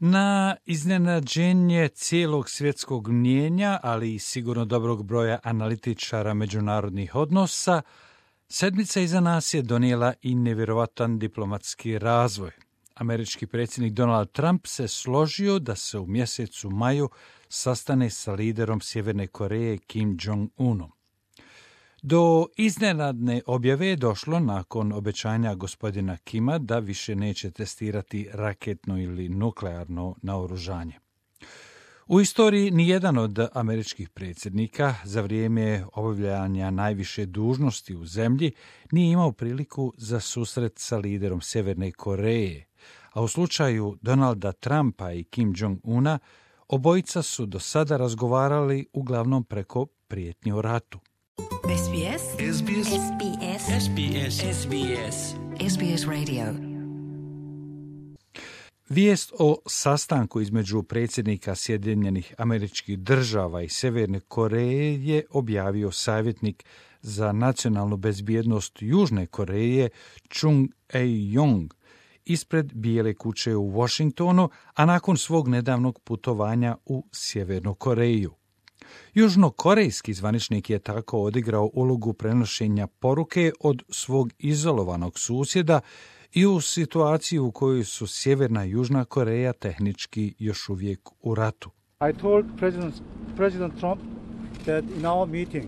Na iznenađenje cijelog svjetskog mnijenja, ali i sigurno dobrog broja analitičara međunarodnih odnosa, sedmica iza nas je donijela i nevjerovatan diplomatski razvoj. Američki predsjednik Donald Trump se složio da se u mjesecu maju sastane sa liderom Sjeverne Koreje Kim Jong-unom. Do iznenadne objave je došlo nakon obećanja gospodina Kima da više neće testirati raketno ili nuklearno naoružanje. U istoriji nijedan od američkih predsjednika za vrijeme obavljanja najviše dužnosti u zemlji nije imao priliku za susret sa liderom Sjeverne Koreje, a u slučaju Donalda Trumpa i Kim Jong-una obojica su do sada razgovarali uglavnom preko prijetnji o ratu. SBS SBS SBS SBS SBS SBS Radio. Vijest o sastanku između predsjednika Sjedinjenih Američkih Država i Sjeverne Koreje je objavio savjetnik za nacionalnu bezbjednost Južne Koreje Chung Eui-yong ispred Bijele kuće u Washingtonu, a nakon svog nedavnog putovanja u Sjevernu Koreju. Južnokorejski zvaničnik je tako odigrao ulogu prenošenja poruke od svog izolovanog susjeda i u situaciji u kojoj su Sjeverna i Južna Koreja tehnički još uvijek u ratu. I told President Trump that in our meeting,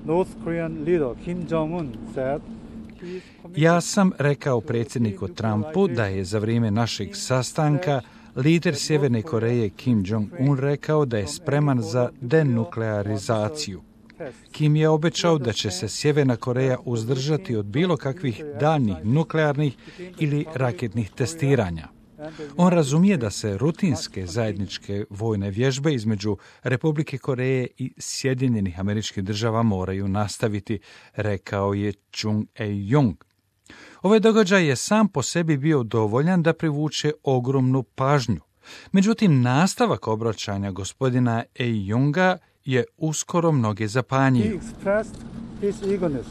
North Korean leader Kim Jong-un said Ja sam rekao predsjedniku Trumpu da je za vrijeme našeg sastanka lider Sjeverne Koreje Kim Jong-un rekao da je spreman za denuklearizaciju. Kim je obećao da će se Sjeverna Koreja uzdržati od bilo kakvih daljnjih nuklearnih ili raketnih testiranja. On razumije da se rutinske zajedničke vojne vježbe između Republike Koreje i Sjedinjenih Američkih Država moraju nastaviti, rekao je Chung Eui-yong. Ovaj događaj je sam po sebi bio dovoljan da privuče ogromnu pažnju. Međutim, nastavak obraćanja gospodina Eui-yonga je uskoro mnoge zapanjio. he expressed his eagerness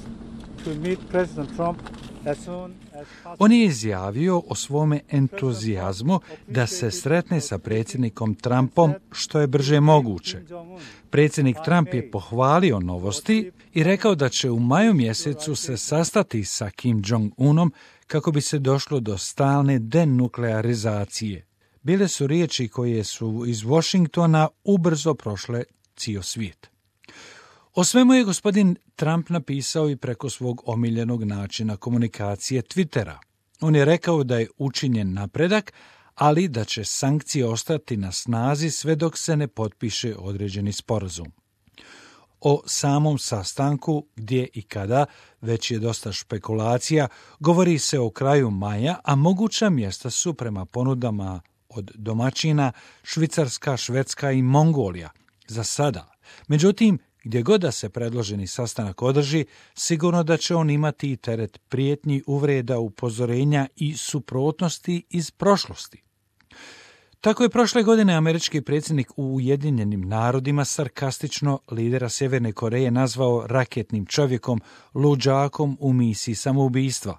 to meet President Trump as soon as possible. On je izjavio o svome entuzijazmu da se sretne sa predsjednikom Trumpom što je brže moguće. Predsjednik Trump je pohvalio novosti i rekao da će u maju mjesecu se sastati sa Kim Jong-unom kako bi se došlo do stalne denuklearizacije. Bile su riječi koje su iz Washingtona ubrzo prošle cijel svijet. O svemu je gospodin Trump napisao i preko svog omiljenog načina komunikacije Twittera. On je rekao da je učinjen napredak, ali da će sankcije ostati na snazi sve dok se ne potpiše određeni sporazum. O samom sastanku, gdje i kada, već je dosta špekulacija, govori se o kraju maja, a moguća mjesta su prema ponudama od domaćina Švicarska, Švedska i Mongolija. Za sada. Međutim, gdje god da se predloženi sastanak održi, sigurno da će on imati i teret prijetnji, uvreda, upozorenja i suprotnosti iz prošlosti. Tako je prošle godine američki predsjednik u Ujedinjenim narodima sarkastično lidera Sjeverne Koreje nazvao raketnim čovjekom, luđakom u misiji samoubistva.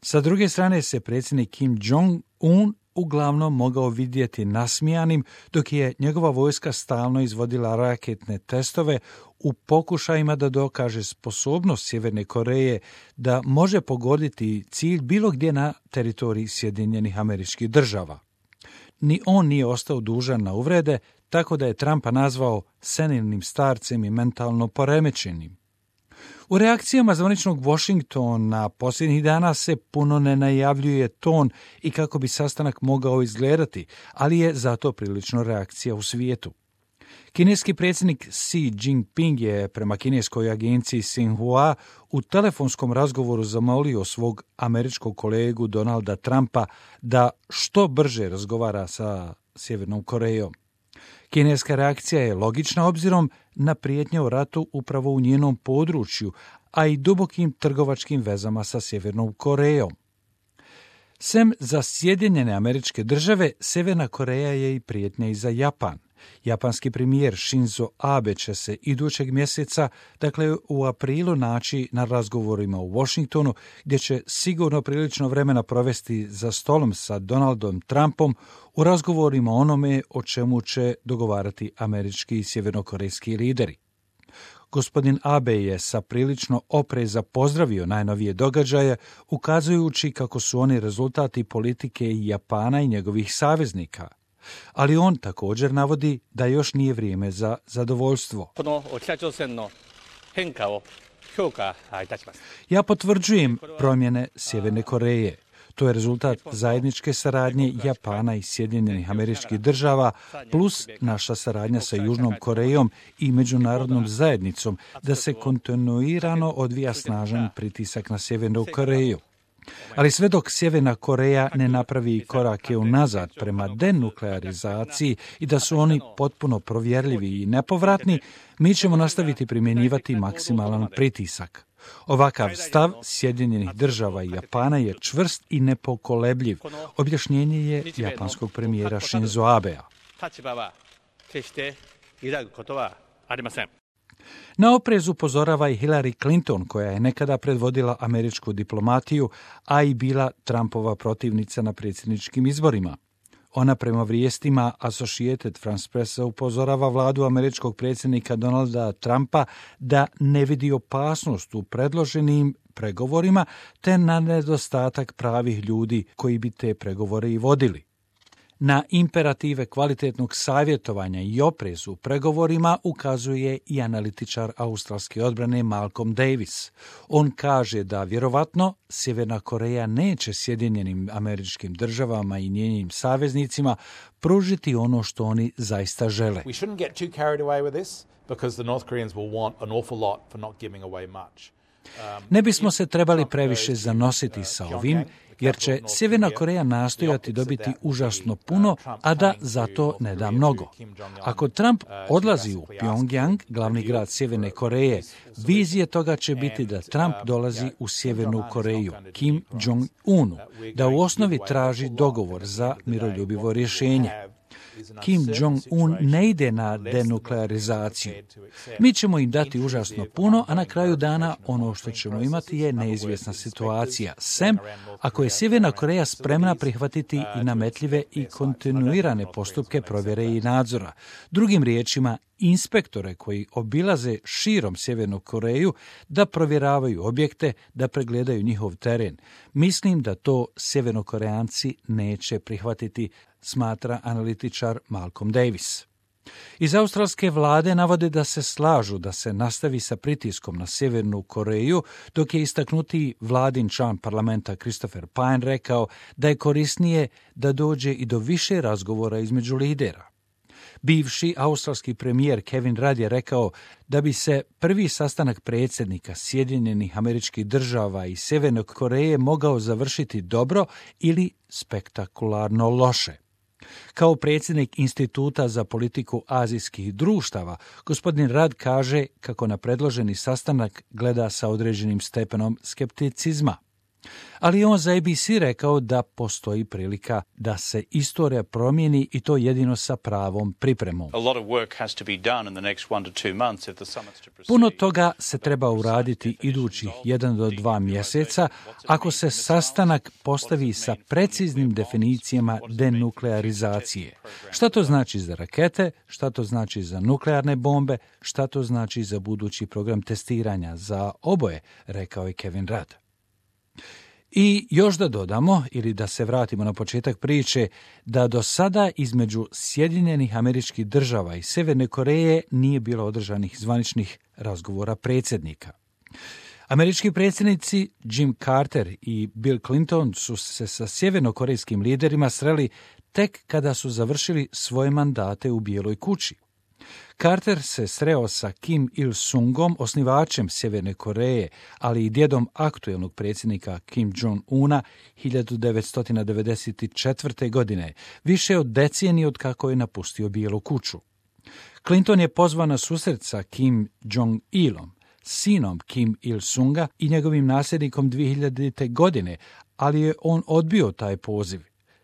Sa druge strane se predsjednik Kim Jong-un uglavnom mogao vidjeti nasmijanim, dok je njegova vojska stalno izvodila raketne testove u pokušajima da dokaže sposobnost Sjeverne Koreje da može pogoditi cilj bilo gdje na teritoriji Sjedinjenih Američkih Država. Ni on nije ostao dužan na uvrede, tako da je Trumpa nazvao senilnim starcem i mentalno poremećenim. U reakcijama zvaničnog Washingtona posljednjih dana se puno ne najavljuje ton i kako bi sastanak mogao izgledati, ali je zato prilično reakcija u svijetu. Kineski predsjednik Xi Jinping je prema kineskoj agenciji Xinhua u telefonskom razgovoru zamolio svog američkog kolegu Donalda Trumpa da što brže razgovara sa Sjevernom Korejom. Kineska reakcija je logična obzirom na prijetnje o ratu upravo u njenom području, a i dubokim trgovačkim vezama sa Sjevernom Korejom. Sem za Sjedinjene Američke Države, Sjeverna Koreja je i prijetnja i za Japan. Japanski premijer Shinzo Abe će se idućeg mjeseca, dakle u aprilu, naći na razgovorima u Washingtonu, gdje će sigurno prilično vremena provesti za stolom sa Donaldom Trumpom u razgovorima onome o čemu će dogovarati američki i sjevernokorejski lideri. Gospodin Abe je sa prilično opreza pozdravio najnovije događaje, ukazujući kako su oni rezultati politike Japana i njegovih saveznika. Ali on također navodi da još nije vrijeme za zadovoljstvo. Ja potvrđujem promjene Sjeverne Koreje. To je rezultat zajedničke saradnje Japana i Sjedinjenih Američkih Država plus naša saradnja sa Južnom Korejom i međunarodnom zajednicom da se kontinuirano odvija snažan pritisak na Sjevernu Koreju. Ali sve dok Sjeverna Koreja ne napravi korake unazad prema denuklearizaciji i da su oni potpuno provjerljivi i nepovratni, mi ćemo nastaviti primjenjivati maksimalan pritisak. Ovakav stav Sjedinjenih Država i Japana je čvrst i nepokolebljiv, objašnjenje je japanskog premijera Shinzo Abea. Na oprez upozorava i Hillary Clinton, koja je nekada predvodila američku diplomatiju, a i bila Trumpova protivnica na predsjedničkim izborima. Ona prema vijestima Associated Pressa upozorava vladu američkog predsjednika Donalda Trumpa da ne vidi opasnost u predloženim pregovorima te na nedostatak pravih ljudi koji bi te pregovore i vodili. Na imperative kvalitetnog savjetovanja i oprezu u pregovorima ukazuje i analitičar australske odbrane Malcolm Davis. On kaže da vjerovatno Sjeverna Koreja neće Sjedinjenim Američkim Državama i njenim saveznicima pružiti ono što oni zaista žele. We shouldn't get too carried away with this because the North Koreans will want an awful lot for not giving away much. Ne bismo se trebali previše zanositi sa ovim, jer će Sjeverna Koreja nastojati dobiti užasno puno, a da za to ne da mnogo. Ako Trump odlazi u Pyongyang, glavni grad Sjeverne Koreje, vizije toga će biti da Trump dolazi u Sjevernu Koreju, Kim Jong-unu, da u osnovi traži dogovor za miroljubivo rješenje. Kim Jong-un ne ide na denuklearizaciju. Mi ćemo im dati užasno puno, a na kraju dana ono što ćemo imati je neizvjesna situacija. Sem ako je Sjeverna Koreja spremna prihvatiti i nametljive i kontinuirane postupke provjere i nadzora. Drugim riječima, inspektore koji obilaze širom Sjevernu Koreju da provjeravaju objekte, da pregledaju njihov teren. Mislim da to Sjevernokoreanci neće prihvatiti, smatra analitičar Malcolm Davis. Iz australske vlade navode da se slažu da se nastavi sa pritiskom na Sjevernu Koreju, dok je istaknuti vladin član parlamenta Christopher Pyne rekao da je korisnije da dođe i do više razgovora između lidera. Bivši australski premijer Kevin Rudd je rekao da bi se prvi sastanak predsjednika Sjedinjenih Američkih Država i Sjeverne Koreje mogao završiti dobro ili spektakularno loše. Kao predsjednik Instituta za politiku azijskih društava, gospodin Rudd kaže kako na predloženi sastanak gleda sa određenim stepenom skepticizma. Ali on za ABC rekao da postoji prilika da se istorija promijeni i to jedino sa pravom pripremom. Puno toga se treba uraditi idućih 1 do 2 mjeseca ako se sastanak postavi sa preciznim definicijama denuklearizacije. Šta to znači za rakete, šta to znači za nuklearne bombe, šta to znači za budući program testiranja za oboje, rekao je Kevin Rudd. I još da dodamo, ili da se vratimo na početak priče, da do sada između Sjedinjenih Američkih Država i Sjeverne Koreje nije bilo održanih zvaničnih razgovora predsjednika. Američki predsjednici Jim Carter i Bill Clinton su se sa sjevernokorejskim liderima sreli tek kada su završili svoje mandate u Bijeloj kući. Carter se sreo sa Kim Il-sungom, osnivačem Sjeverne Koreje, ali i djedom aktuelnog predsjednika Kim Jong-una 1994. godine, više od decenije od kako je napustio Bijelu kuću. Clinton je pozvan na susret sa Kim Jong-ilom, sinom Kim Il-sunga i njegovim nasljednikom 2000. godine, ali je on odbio taj poziv.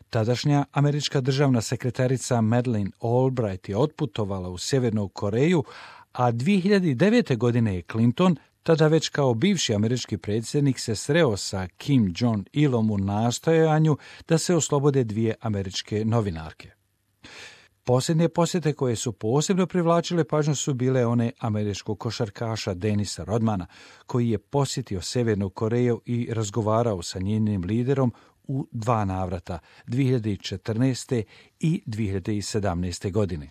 Tadašnja američka državna sekretarica Madeleine Albright je otputovala u Sjevernu Koreju, a 2009. godine je Clinton, tada već kao bivši američki predsjednik, se sreo sa Kim Jong-ilom u nastojanju da se oslobode 2 američke novinarke. Posljednje posjete koje su posebno privlačile pažnju su bile one američkog košarkaša Denisa Rodmana, koji je posjetio Sjevernu Koreju i razgovarao sa njenim liderom u 2 navrata, 2014. i 2017. godine.